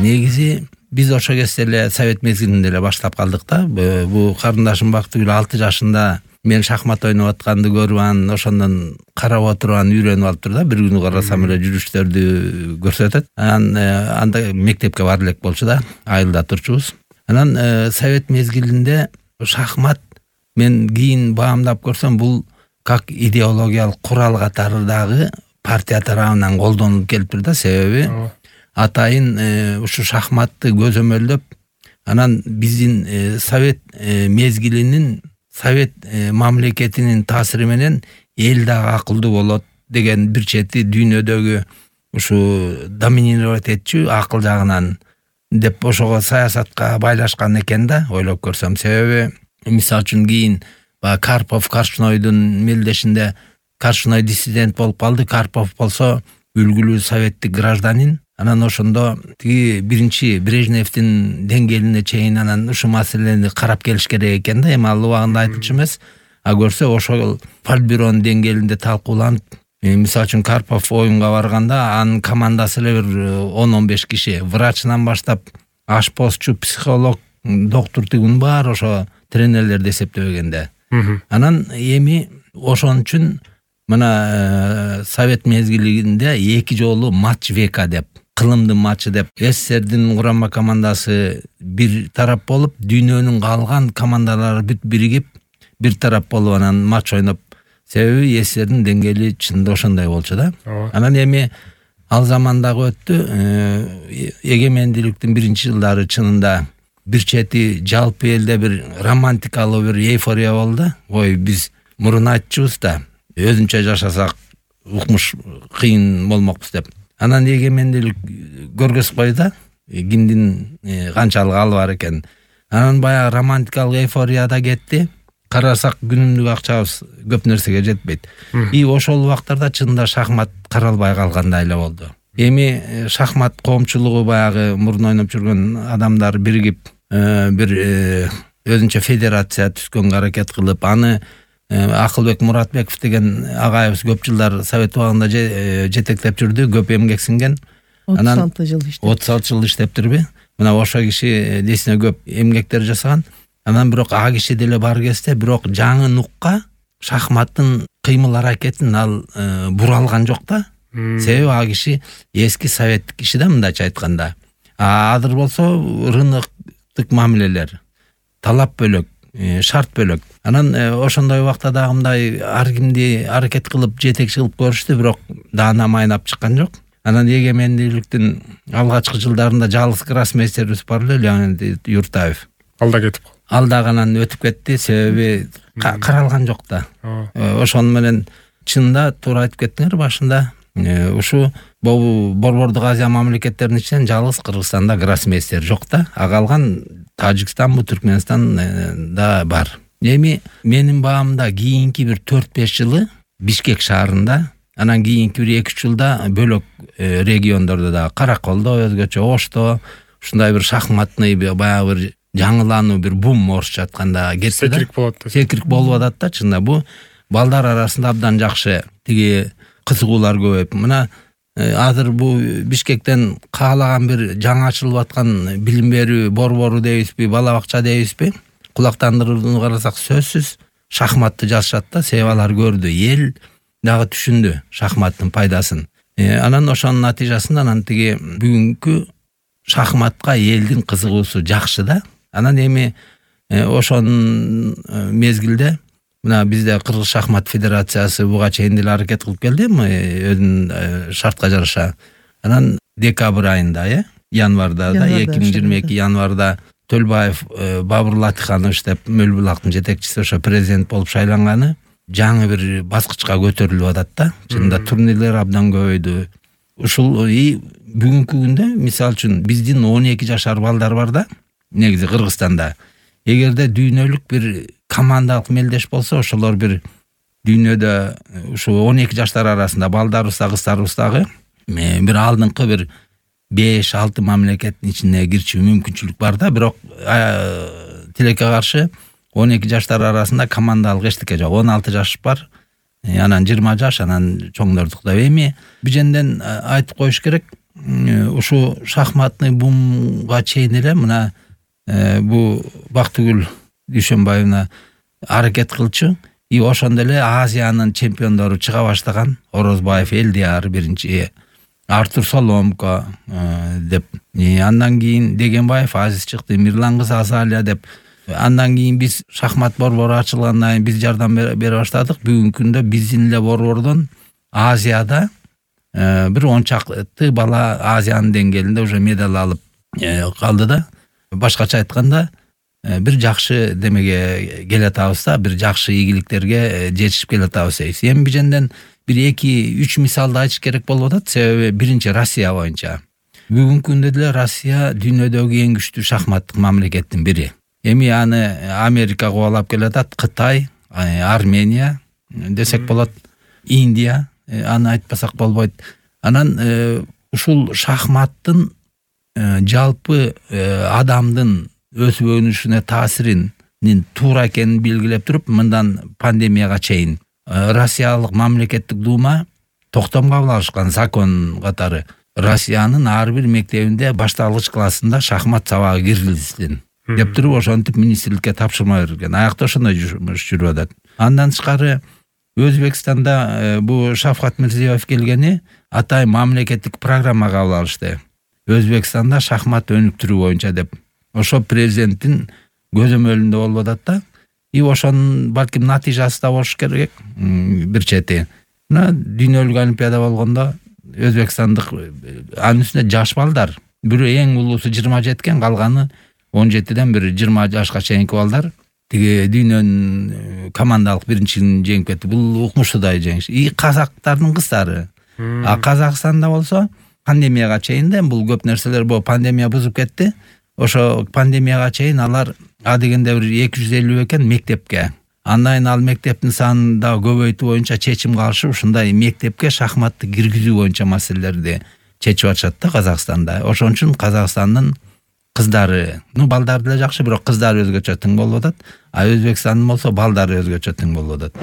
негизи биз ошо кезде эле совет мезгилинде эле баштап калдык да. Бул карындашым Бактыгүл 6 жашында мен шахмат ойноп атканды көрүп анан ошондон карап отуруп анан үйрөнүп алыптыр да. Бир күнү карасам эле жүрүштөрдү көрсөтөт. Анда мектепке бара элек болчу да, айылда турчубуз. Анан совет мезгилинде шахмат мен кийин баамдап көрсөм бул как идеологиялык курал катарындагы партия тарабынан колдонулуп келиптир да. Себеби атайын ушу шахматты көзөмөлдөп анан биздин совет мезгилинин совет мамлекетинин таасири менен эл дагы акылдуу болот деген бир чети дүйнөдөгү ушу доминировать этчү акыл жагынан деп ошого саясатка байлашкан экен да, ойлоп көрсөм. Себеби мисалы үчүн кийин баягы Карпов Каршунойдун мелдешинде Каршуной диссидент болуп калды. Карпов болсо үлгүлүү советтик гражданин. Анан ошондо тиги биринчи Брежневдин деңгээлине чейин анан ушу маселени карап келиш керек экен да. Эми ал убагында айтылчу эмес. А көрсө ошол политбюронун деңгээлинде талкууланып, мисалы үчүн Карпов оюнга барганда анын командасы эле бир 10-15 киши, врачынан баштап ашпозчу, психолог, доктор тигин баары ошо тренерлерди эсептебегенде. Анан эми ошон үчүн мына совет мезгилинде 2 жолу матч века деп, кылымдын матчы деп, СССРдин курама командасы бир тарап болуп, дүйнөнүн калган командалары бүт биригип бир тарап болуп анан матч ойноп. Себеби СССРдин деңгээли чынында ошондой болчу да. Анан эми ал замандагы өттү. Эгемендүүлүктүн биринчи жылдары чынында бир чети жалпы элде бир романтикалуу бир эйфория болду. Ой, биз мурун айтчубуз да, өзүнчө жашасак укмуш кыйын болмокпуз деп. Анан эгемендүүлүк көргөз койду, кимдин канчалык алы бар экен. Анан баягы романтикалык эйфорияда кетти. Карасак күнүмдүк акчабыз көп нерсеге жетпейт. И ошол убактарда чынында шахмат каралбай калгандай эле болду. Эми шахмат коомчулугу баягы мурун ойноп жүргөн адамдар биригип бир өзүнчө федерация түзгөнгө аракет кылып, аны Акылбек Муратбеков деген агайыбыз көп жылдар совет убагында жетектеп жүрдү, көп эмгек сиңген. 36 жыл иштеп. 36 жыл иштептирби? Мына ошо киши десине көп эмгектер жасаган. Анан бирок а киши деле бар кезде бирок жаңы нукка шахматтын кыймыл аракетин ал буралган жок да. Себеби а киши эски советтик киши да, мындайча айтканда. Азыр болсо рыноктук мамилелер, талап бөлөк, шарт бөлөк. Анан ошондой убакта дагы мындай ар кимди аракет кылып жетекчи кылып көрүштү, бирок даана майнап чыккан жок. Анан эгемендүүлүктүн алгачкы жылдарында жалгыз гроссмейстерибиз бар эле, Леонид Юртаев. Алда кетип калды. Алдагынан өтүп кетти, себеби каралган жок да. Ошону менен чынында туура айтып кеттиңер башында. Ушу Борбордук Азия мамлекеттеринин ичинен жалгыз Кыргызстанда гроссмейстер жок да. Калган Тажикстан, Түркмөнстан да бар. Эми менин баамда кийинки бир 4-5 жылы Бишкек шаарында, анан кийинки бир 2-3 жылда бөлөк региондордо да, Караколдо, өзгөчө Ошто ушундай бир шахматный баягы бир жаңылануу, бир бум орусча айтканда кетти да. Секирик болот да. Секирик болуп атат да, чында бу балдар арасында абдан жакшы тиги кызыгуулар көбөйүп. Мына азыр бу Бишкектен каалаган бир жаңы ачылып аткан билим берүү борбору дейбизби, бала бакча дейбизби, кулактандырууну карасак сөзсүз шахматты жазышат да. Себеби алар көрдү, эл дагы түшүндү шахматтын пайдасын. Анан ошонун натыйжасында анан тиги бүгүнкү шахматка элдин кызыгуусу жакшы да. Анан эми ошонун мезгилде мына бизде Кыргыз шахмат федерациясы буга чейин деле аракет кылып келди, өзүнүн шартка жараша. Анан декабрь айында, январда да, 2022 январда Төлбаев Бабур Латиханович деп Мөлбулактын жетекчиси ошо президент болуп шайланганы жаңы бир баскычка көтөрүлүп атат да. Чында турнирлер абдан көбөйдү. Ушул бүгүнкү күндө мисалы үчүн биздин 12 жашар балдар бар да, негизи Кыргызстанда. Эгерде дүйнөлүк бир командалык мелдеш болсо, ошолор бир дүйнөдө ушу 12 жаштар арасында балдарыбыз да кыздарыбыз дагы бир алдыңкы бир 5-6 мамлекеттин ичине кирчү мүмкүнчүлүк бар да. Бирок тилекке каршы 12 жаштар арасында командалык эчтеке жок. 16 жаш бар, анан 20 жаш, анан чоңдордук да. Эми биженден айтып коюш керек, ушу шахматный бумга чейин эле мына бул Бактыгүл Дүйшөнбаевна аракет кылчу. И ошондо эле Азиянын чемпиондору чыга баштаган. Орозбаев Элдияр биринчи, Артур Соломко деп, андан кийин Дегенбаев Азиз чыкты, Мирлан кызы Азалия деп. Андан кийин биз шахмат борбору ачылгандан кийин биз жардам бере баштадык. Бүгүнкү күндө биздин эле борбордон Азияда бир 10 чакты бала Азиянын деңгээлинде уже медаль алып калды да. Башкача айтканда бир жакшы демеге келатабыз да, бир жакшы ийгиликтерге жетишип келатабыз. Эми биженден бир 2-3 мисалды айтыш керек болуп атат. Себеби биринчи Россия боюнча. Бүгүнкү күндө деле Россия дүйнөдөгү эң күчтүү шахматтык мамлекеттин бири. Эми аны Америка кубалап келатат, Кытай, Армения десек болот, Индия, аны айтпасак болбойт. Анан ушул шахматтын жалпы адамдын өсүп өнүшүнө таасиринин туура экенин белгилеп туруп, мындан пандемияга чейин Россиялык мамлекеттик дума токтом кабыл алышкан закон катары Россиянын ар бир мектебинде башталгыч классында шахмат сабагы киргизилсин деп туруп ошентип министрликке тапшырма берилген. Аякта ошондой жумуш жүрүп атат. Андан тышкары Өзбекстанда бу Шавкат Мирзиёев келгени атай мамлекеттик программа кабыл алышты. Өзбекстанда шахмат өнүктүрүү боюнча деп. Ошо президенттин көзөмөлүндө болуп атат да. И ошонун балким натыйжасы да болуш керек бир чети. Мына дүйнөлүк олимпиада болгондо өзбекстандык анын үстүнө жаш балдар, бирөө эң улуусу 27кен, калганы 17ден бир 20 жашка чейинки балдар тиги дүйнөнүн командалык биринчилигин жеңип кетти. Бул укмуштуудай жеңиш. И казактардын кыздары. А Казакстанда болсо пандемияга чейин да бул көп нерселер бул пандемия бузуп кетти. Ошо пандемияга чейин алар адегенде бир 250 экен мектепке. Андан кийин ал мектептин санын да көбөйтүү боюнча чечим кылышып, ушундай мектепке шахматты киргизүү боюнча маселелерди чечип атышат да Казакстанда. Ошон үчүн Казакстандын кыздары, балдары деле жакшы, бирок кыздары өзгөчө тың болуп атат. А Өзбекстандын болсо балдары өзгөчө тың болуп атат.